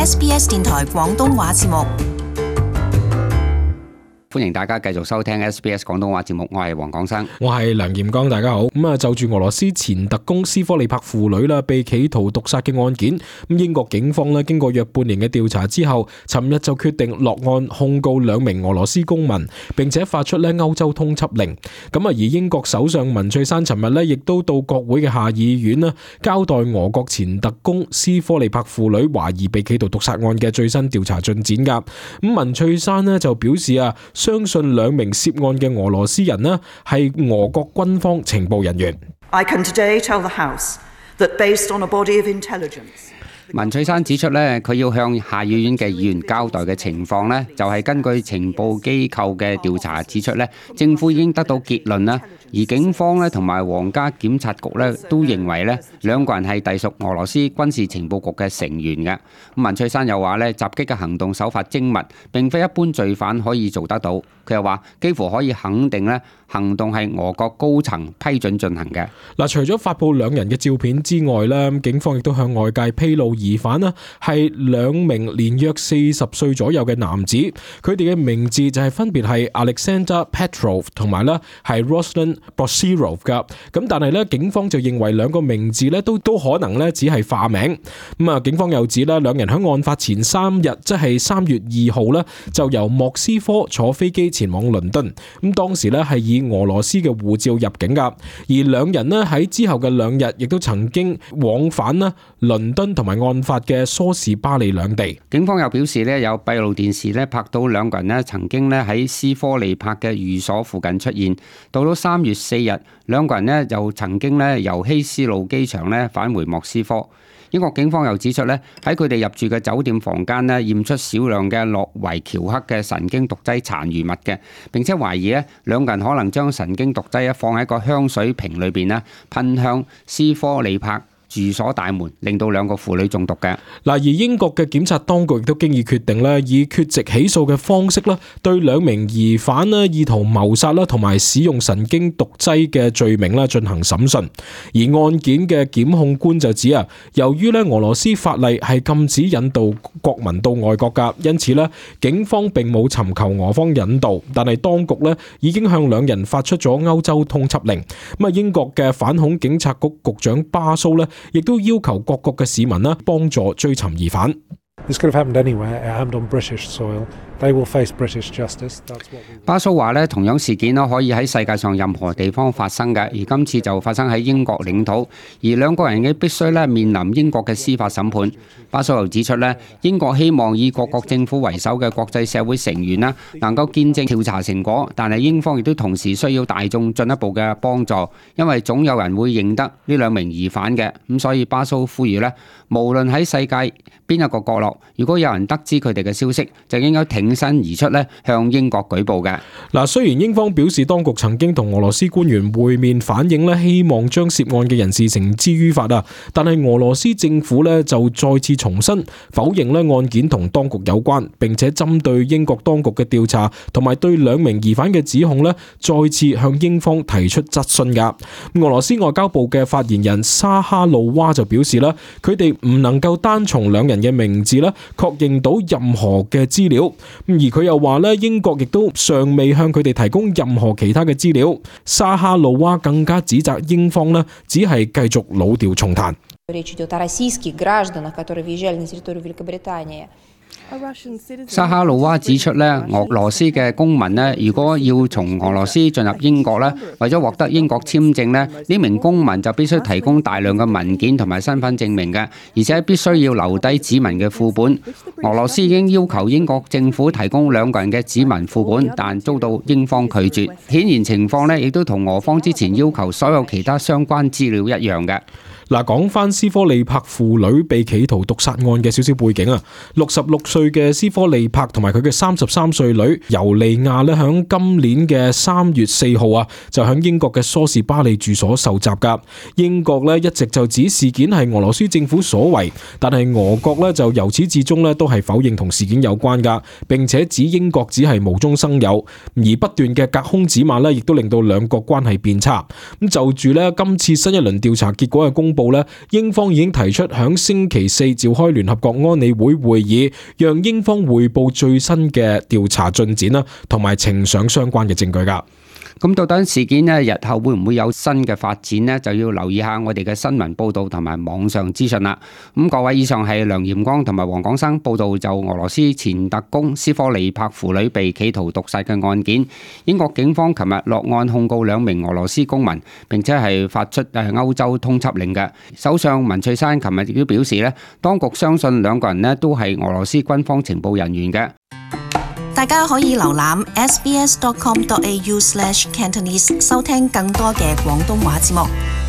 SBS 電台廣東話節目。歡迎大家繼續收聽 SBS 廣東話節目，我係黃廣生，我係梁炎剛，大家好。就住俄羅斯前特工斯科利帕父女被企圖毒殺嘅案件，英國警方經過約半年嘅調查之後，尋日就決定落案控告兩名俄羅斯公民，並且發出歐洲通緝令。而英國首相文翠珊尋日亦都到國會嘅下議院交代俄國前特工斯科利帕父女懷疑被企圖毒殺案嘅最新調查進展噶。文翠珊就表示相信兩名涉案嘅俄羅斯人係俄國軍方情報人員。I can today tell the House that based on a body of intelligence。文翠珊指出佢要向下議院嘅議員交代嘅情況就係根據情報機構嘅調查指出政府已經得到結論而警方同埋皇家檢察局都認為兩個人係隸屬俄羅斯軍事情報局嘅成員嘅。文翠珊又話襲擊嘅行動手法精密，並非一般罪犯可以做得到。佢又話幾乎可以肯定行動係俄國高層批准進行嘅。除咗發布兩人嘅照片之外警方亦都向外界披露疑犯係兩名年約40歲左右嘅男子，佢哋嘅名字就係分別係 Alexander Petrov 同埋係 Ruslan Bosirov 噶。咁但係警方就認為兩個名字都可能只係化名。警方又指兩人喺案發前3日，即係3月2號就由莫斯科坐飛機前往倫敦。當時係以俄羅斯嘅護照入境噶，而兩人喺之後嘅2日亦都曾經往返倫敦同埋案發嘅梳士巴利兩地。警方又表示有閉路電視拍到兩個人曾經喺斯科利帕嘅寓所附近出現。到咗3月4日，兩個人又曾經由希斯路機場返回莫斯科。英國警方又指出喺佢哋入住嘅酒店房間驗出少量嘅諾維喬克嘅神經毒劑殘餘物嘅，並且懷疑兩個人可能將神經毒劑放喺個香水瓶裏邊噴向斯科利帕住所大門，令到兩個婦女中毒嘅。而英國嘅檢察當局亦都經已決定以缺席起訴嘅方式對兩名疑犯意圖謀殺同埋使用神經毒劑嘅罪名進行審訊。而案件嘅檢控官就指由於俄羅斯法例係禁止引渡國民到外國噶，因此警方並冇尋求俄方引渡，但係當局已經向兩人發出咗歐洲通緝令。英國嘅反恐警察局局長巴蘇亦都要求各國嘅市民幫助追尋疑犯。巴蘇話同樣事件可以喺世界上任何地方發生嘅，而今次就發生喺英國領土，而兩個人嘅必須面臨英國嘅司法審判。巴蘇又指出英國希望以各國政府為首嘅國際社會成員能夠見證調查成果，但係英方亦都同時需要大眾進一步嘅幫助，因為總有人會認得呢兩名疑犯嘅。咁所以巴蘇呼籲無論喺世界邊一個角落，如果有人得知佢哋嘅消息，就應該挺身而出向英國舉報嘅。雖然英方表示當局曾經同俄羅斯官員會面，反映希望將涉案嘅人士繩之於法但係俄羅斯政府就再次重申否認案件同當局有關，並且針對英國當局嘅調查同埋對兩名疑犯嘅指控再次向英方提出質詢噶。俄羅斯外交部嘅發言人沙哈路娃就表示佢哋唔能夠單從兩人嘅名字確認到任何嘅資料，而佢又話英國亦都尚未向佢哋提供任何其他嘅資料。沙哈路娃更加指責英方只係繼續老調重彈。沙哈魯娃指出俄羅斯嘅公民如果要從俄羅斯進入英國為咗獲得英國簽證呢名公民就必須提供大量嘅文件同埋身份證明嘅，而且必須要留低指紋嘅副本。俄羅斯已經要求英國政府提供兩個人嘅指紋副本，但遭到英方拒絕。顯然情況亦都同俄方之前要求所有其他相關資料一樣嘅。講翻斯科利帕父女被企圖毒殺案嘅少少背景66歲嘅斯科利帕同埋佢嘅33歲女尤利亞響今年嘅3月4號就響英國嘅梳士巴利住所受襲噶。英國一直就指事件係俄羅斯政府所為，但係俄國就由始至終都係否認同事件有關噶，並且指英國只係無中生有，而不斷嘅隔空指罵亦都令到兩國關係變差。咁就住今次新一輪調查結果嘅公公佈咧，英方已經提出響星期四召開聯合國安理會會議，讓英方匯報最新嘅調查進展啦，同埋呈上相關嘅證據㗎。咁到底事件呢日後會唔會有新嘅發展呢？就要留意下我哋嘅新聞報導同埋網上資訊啦。咁各位，以上係梁炎光同埋黃廣生報導就俄羅斯前特工斯科尼帕父女被企圖毒殺嘅案件。英國警方琴日落案控告2名俄羅斯公民，並且係發出歐洲通緝令嘅。首相文翠珊琴日亦都表示呢，當局相信2個人呢都係俄羅斯軍方情報人員嘅。大家可以瀏覽 sbs.com.au/cantonese 收聽更多嘅廣東話節目。